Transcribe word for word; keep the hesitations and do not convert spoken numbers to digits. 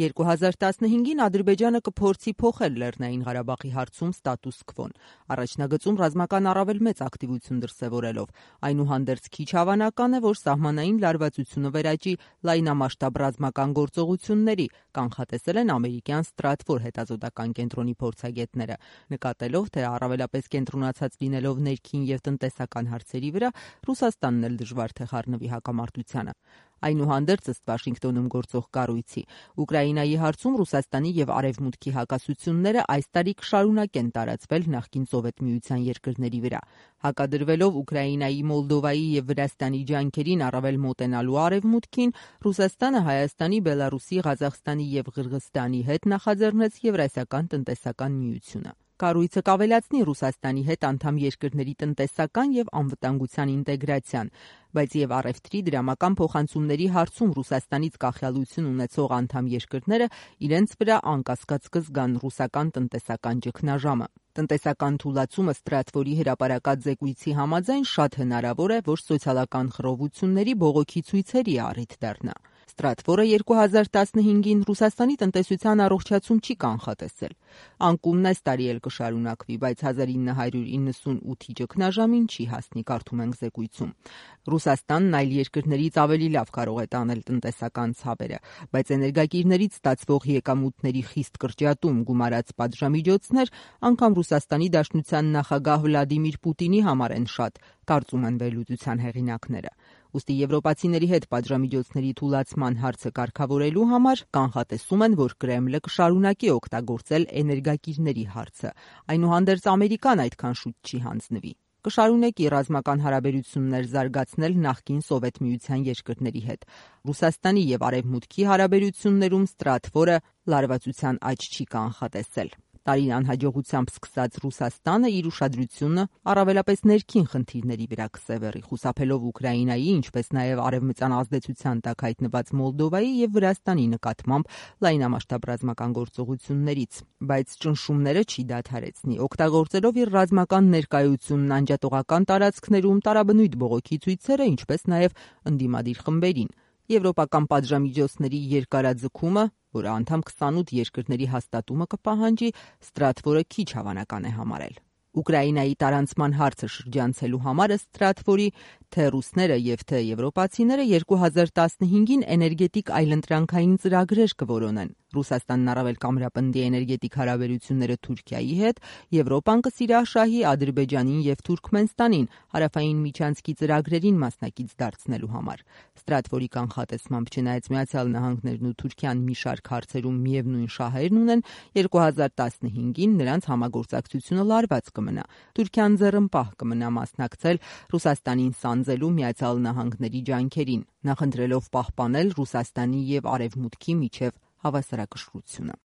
երկու հազար տասնհինգին Ադրբեջանը կփորձի փոխել Լեռնային Ղարաբաղի հարցում ստատուս քվոն, առաջնագծում ռազմական առավել մեծ ակտիվություն դրսևորելով։ Այնուհանդերձ քիչ հավանական է, որ սահմանային լարվածությունը վերաճի լայնամասշտաբ ռազմական գործողությունների, կանխատեսել են ամերիկյան Stratfor հետազոտական կենտրոնի փորձագետները, նկատելով, թե առավելապես կենտրոնացած լինելով ներքին և տնտեսական հարցերի վրա, Ռուսաստանն էլ դժվար թե խառնվի հակամարտությանը։ Այնուհանդերձ, ըստ Վաշինգտոնում գործող կառույցի, Ուկրաինայի հարցում Ռուսաստանի և Արևմուտքի հակասությունները այս տարի կշարունակեն տարածվել նախկին Սովետ Միության երկրների վրա։ Հակադրվելով Ուկրաինայի, Մոլդովայի և Վրաստանի ջանքերին առավել մոտենալու Արևմուտքին, Ռուսաստանը Հայաստանի, Բելառուսի, Ղազախստանի և Ղրղըզստանի հետ նախաձեռնեց Եվրասիական տնտեսական միությունը։ Կառույցը կավելացնի Ռուսաստանի հետ անդամ երկրների տնտեսական և անվտանգության ինտեգրացիան, բայց և առևտրի, դրամական փոխանցումների հարցում Ռուսաստանից կախյալություն ունեցող անդամ երկրները իրենց վրա անկասկած կզգան ռուսական տնտեսական ճգնաժամը։ Տնտեսական թուլացումը Stratfor-ի հրապարակած զեկույցի համաձայն շատ հնարավոր է, որ սոցիալական խռովությունների բողոքի ցույցերի առիթ դառնա։ Stratfor-ը երկու հազար տասնհինգին Ռուսաստանի տնտեսության առողջացում չի կանխատեսել։ Անկումն այս տարի էլ կշարունակվի, բայց հազար ինը հարյուր իննսունութի ճգնաժամին չի հասնի, կարդում ենք զեկույցում։ Ռուսաստանն այլ երկրներից ավելի լավ կարող է տանել տնտեսական ցավերը, բայց էներգակիրներից ստացվող եկամուտների խիստ կրճատում, գումարած պատժամիջոցներ անգամ Ռուսաստանի Դաշնության նախագահ Վլադիմիր Պուտինի համար են շատ, կարծում են վերլուծության հեղինակները։ Ուստի եվրոպացիների հետ պատժամիջոցների թուլացման հարցը կարգավորելու համար կանխատեսում են, որ Կրեմլը կշարունակի օգտագործել էներգակիրների հարցը։ Այնուհանդերձ Ամերիկան այդքան շուտ չի հանձնվի։ Կշարունակի ռազմական հարաբերություններ զարգացնել նախկին Սովետ Միության երկրների հետ։ Ռուսաստանի և Արևմուտքի հարաբերություններում Stratfor-ը լարվածության աճ չի կանխատեսել։ Տարին անհաջողությամբ սկսած Ռուսաստանը իր ուշադրությունը առավելապես ներքին խնդիրների վրա կսևեռի, խուսափելով Ուկրաինայի, ինչպես նաև արևմտյան ազդեցության տակ հայտնված Մոլդովայի և Վրաստանի նկատմամբ լայնամասշտաբ ռազմական գործողություններից, բայց ճնշումները չի դադարեցնի, օգտագործելով իր ռազմական ներկայությունն անջատողական տարածքներում տարաբնույթ բողոքի ցույցերը, ինչպես նաև ընդդիմադիր խմբերին։ Եվրոպական պատժամիջոցների երկարաձգումը, որը անդամ քսանութ երկրների հաստատումը կպահանջի, Stratfor-ը քիչ հավանական է համարել։ Ուկրաինայի տարանցման հարցը շրջանցելու համար Stratfor-ի թե ռուսները և թե եվրոպացիները երկու հազար տասնհինգին էներգետիկ այլընտրանքային ծրագրեր կորոնեն։ Ռուսաստանն առավել կամրապնդի էներգետիկ հարաբերությունները Թուրքիայի հետ, Եվրոպան կսիրաշահի Ադրբեջանին և Թուրքմենստանին հարավային միջանցքի ծրագրերին մասնակից դարձնելու համար։ Stratfor-ի կանխատեսմամբ, չնայած Միացյալ Նահանգներն ու Թուրքիան մի շարք հարցերում միևնույն շահերն ունեն, երկու հազար տասնհինգին նրանց համագործակցությունը լարված կմնա։ Թուրքիան ձեռնպահ կմնա մասնակցել Ռուսաստանին սանձելու Միացյալ Նահանգների ջանքերին, նախընտրելով պահպանել Ռուսաստանի և Արևմուտքի միջև հավասարակշռությունը։